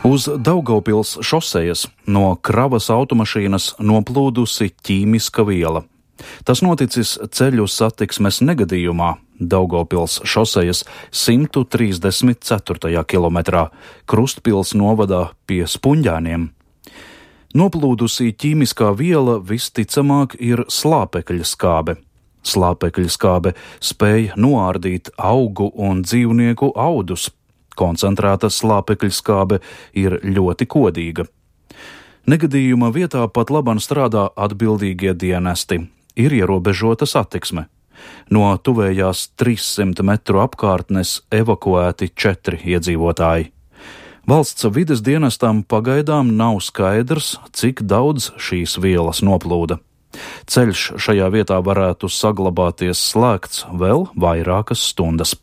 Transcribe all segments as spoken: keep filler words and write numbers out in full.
Uz Daugavpils šosejas no kravas automašīnas noplūdusi ķīmiska viela. Tas noticis ceļu satiksmes negadījumā Daugavpils šosejas simt trīsdesmit ceturtajā kilometrā Krustpils novadā pie Spunģēniem. Noplūdusī ķīmiskā viela visticamāk ir slāpekļa skābe. Slāpekļa skābe spēj noārdīt augu un dzīvnieku audus. Koncentrēta slāpekļa skābe ir ļoti kodīga. Negadījuma vietā pat laban strādā atbildīgie dienesti. Ir ierobežota satiksme. No tuvējās trīssimt metru apkārtnes evakuēti četri iedzīvotāji. Valsts vides dienestam pagaidām nav skaidrs, cik daudz šīs vielas noplūda. Ceļš šajā vietā varētu saglabāties slēgts vēl vairākas stundas.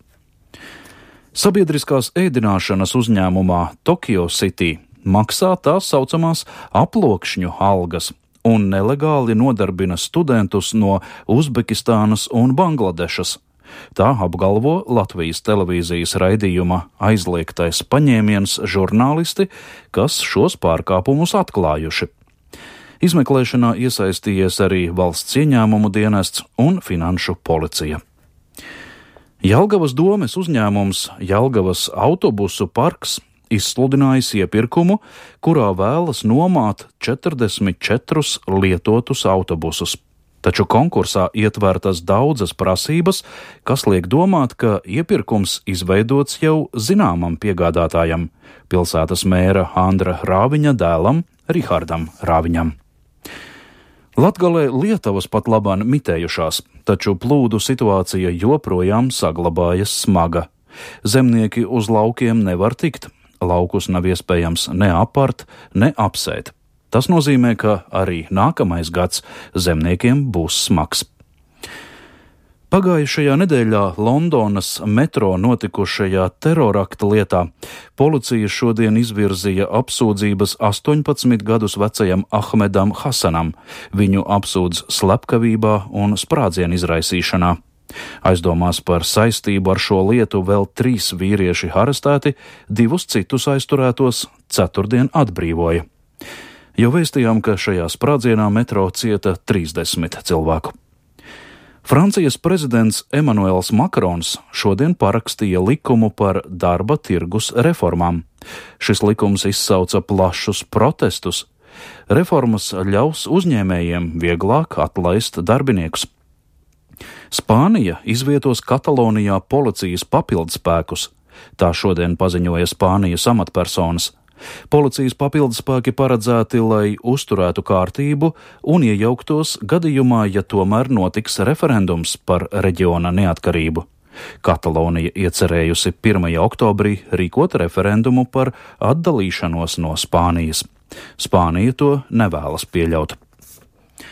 Sabiedriskās ēdināšanas uzņēmumā Tokyo City maksā tā saucamās aplokšņu algas un nelegāli nodarbina studentus no Uzbekistānas un Bangladešas. Tā apgalvo Latvijas televīzijas raidījuma Aizliegtais paņēmiens žurnālisti, kas šos pārkāpumus atklājuši. Izmeklēšanā iesaistījies arī valsts ieņēmumu dienests un finanšu policija. Jelgavas domes uzņēmums Jelgavas autobusu parks izsludinājis iepirkumu, kurā vēlas nomāt četrdesmit četrus lietotus autobusus. Taču konkursā ietvertas daudzas prasības, kas liek domāt, ka iepirkums izveidots jau zināmam piegādātājam, pilsētas mēra Andra Rāviņa dēlam Rihardam Rāviņam. Latgalē Lietavas pat labāk mitējušās, taču plūdu situācija joprojām saglabājas smaga. Zemnieki uz laukiem nevar tikt, laukus nav iespējams ne apart, ne apsēt. Tas nozīmē, ka arī nākamais gads zemniekiem būs smags. Pagājušajā nedēļā Londonas metro notikušajā terorakta lietā policija šodien izvirzīja apsūdzības astoņpadsmit gadus vecajam Ahmedam Hasanam. Viņu apsūdz slepkavībā un sprādzienu izraisīšanā. Aizdomās par saistību ar šo lietu vēl trīs vīrieši arestēti, divus citus aizturētos ceturtdien atbrīvoja. Jau vēstījām, ka šajā sprādzienā metro cieta trīsdesmit cilvēku. Francijas prezidents Emanuels Makrons šodien parakstīja likumu par darba tirgus reformām. Šis likums izsauca plašus protestus. Reformas ļaus uzņēmējiem vieglāk atlaist darbiniekus. Spānija izvietos Katalonijā policijas papildspēkus. Tā šodien paziņoja Spānijas amatpersonas. Policijas papildspēki paredzēti, lai uzturētu kārtību un iejauktos gadījumā, ja tomēr notiks referendums par reģiona neatkarību. Katalonija iecerējusi pirmajā oktobrī rīkot referendumu par atdalīšanos no Spānijas. Spānija to nevēlas pieļaut.